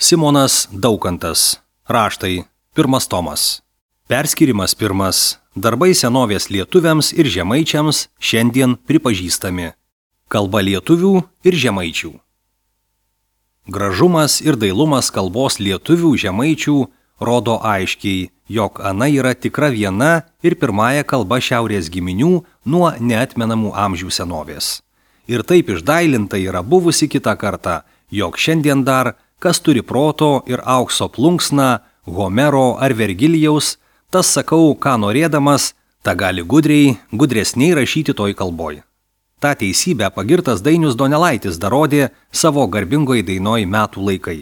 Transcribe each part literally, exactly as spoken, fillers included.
Simonas Daukantas. Raštai. Pirmas tomas. Perskyrimas pirmas. Darbai senovės lietuviams ir žemaičiams šiandien pripažįstami. Kalba lietuvių ir žemaičių. Gražumas ir dailumas kalbos lietuvių žemaičių rodo aiškiai, jog ana yra tikra viena ir pirmąja kalba šiaurės giminių nuo neatmenamų amžių senovės. Ir taip išdailinta yra buvusi kitą kartą, jog šiandien dar, kas turi proto ir aukso plunksną, Homero ar Vergilijaus, tas sakau, ką norėdamas, ta gali gudriai, gudresniai rašyti toj kalboj. Ta teisybę pagirtas Dainius Donelaitis darodė savo garbingoj dainoj Metų laikai.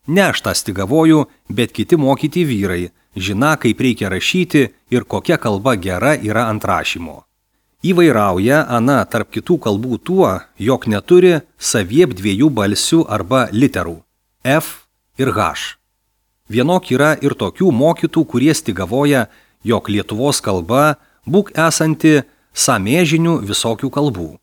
Ne aš tą stigavoju, bet kiti mokyti vyrai, žina, kaip reikia rašyti ir kokia kalba gera yra ant rašymo. Įvairauja ana tarp kitų kalbų tuo, jog neturi saviep dviejų balsių arba literų – F ir H. Vienok yra ir tokių mokytų, kurie stigavoja, jog Lietuvos kalba būk esanti samėžinių visokių kalbų.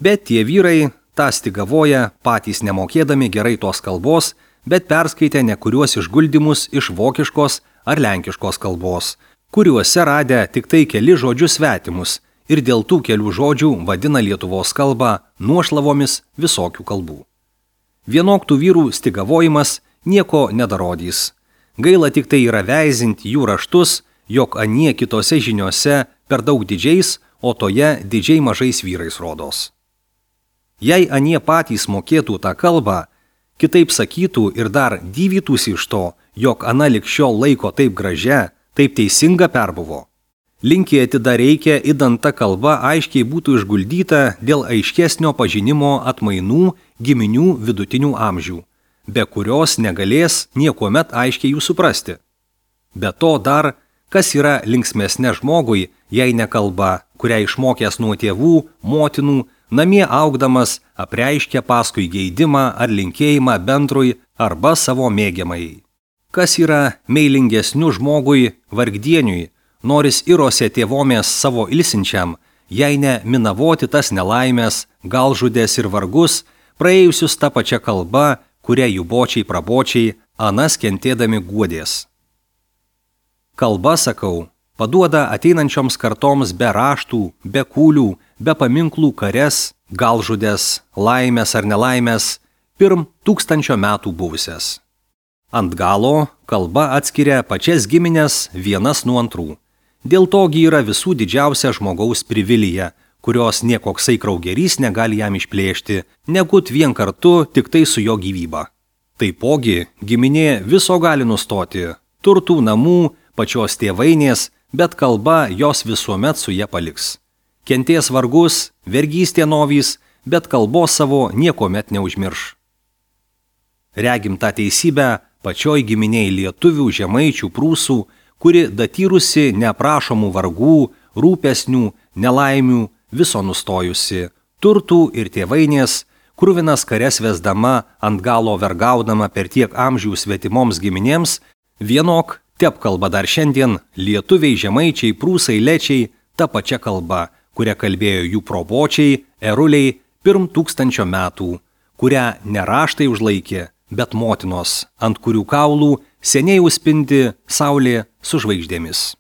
Bet tie vyrai tą stigavoja patys nemokėdami gerai tos kalbos, bet perskaitę nekuriuos išguldymus iš vokiškos ar lenkiškos kalbos, kuriuose radę tik tai keli žodžius svetimus ir dėl tų kelių žodžių vadina Lietuvos kalbą nuošlavomis visokių kalbų. Vienok tų vyrų stigavojimas nieko nedarodys. Gaila tik tai yra veizinti jų raštus, jog anie kitose žiniose per daug didžiais, o toje didžiai mažais vyrais rodos. Jei anie patys mokėtų tą kalbą, kitaip sakytų ir dar dyvytųsi iš to, jog ana lig šiol laiko taip gražia, taip teisinga perbuvo. Linkėti dar reikia, idant ta kalba aiškiai būtų išguldyta dėl aiškesnio pažinimo atmainų giminių vidutinių amžių, be kurios negalės niekuomet aiškiai jų suprasti. Be to dar, kas yra linksmesnė žmogui, jei ne kalba, kurią išmokęs nuo tėvų, motinų, namie augdamas apreiškia paskui geidimą ar linkėjimą bendrui arba savo mėgiamai. Kas yra meilingesnių žmogui vargdieniui, noris irose tėvomės savo ilsinčiam, jei ne minavoti tas nelaimės, galžudės ir vargus, praėjusius tą pačią kalbą, kurią jų bočiai prabočiai, anas kentėdami guodės. Kalba, sakau, paduoda ateinančioms kartoms be raštų, be kūlių, be paminklų kares, galžudės, laimės ar nelaimės, pirm tūkstančio metų buvusias. Ant galo kalba atskiria pačias giminės vienas nuo antrų. Dėl togi yra visų didžiausia žmogaus privilegija, kurios niekoksai kraugerys negali jam išplėšti, negut vien kartu tik tai su jo gyvyba. Taipogi giminė viso gali nustoti, turtų, namų, pačios tėvainės, bet kalba jos visuomet su jie paliks. Kenties vargus, vergystė novys, bet kalbos savo niekomet neužmirš. Regim tą teisybę pačioj giminiai lietuvių, žemaičių, prūsų, kuri datyrusi neaprašomų vargų, rūpesnių, nelaimių, viso nustojusi, turtų ir tėvainės, kruvinas kares vesdama, ant galo vergaudama per tiek amžių svetimoms giminėms, vienok tep kalba dar šiandien lietuviai, žemaičiai, prūsai, lečiai, ta pačia kalba, kurią kalbėjo jų probočiai, eruliai, pirm tūkstančio metų, kurią ne raštai užlaikė, bet motinos, ant kurių kaulų seniai užspindi saulė su žvaigždėmis.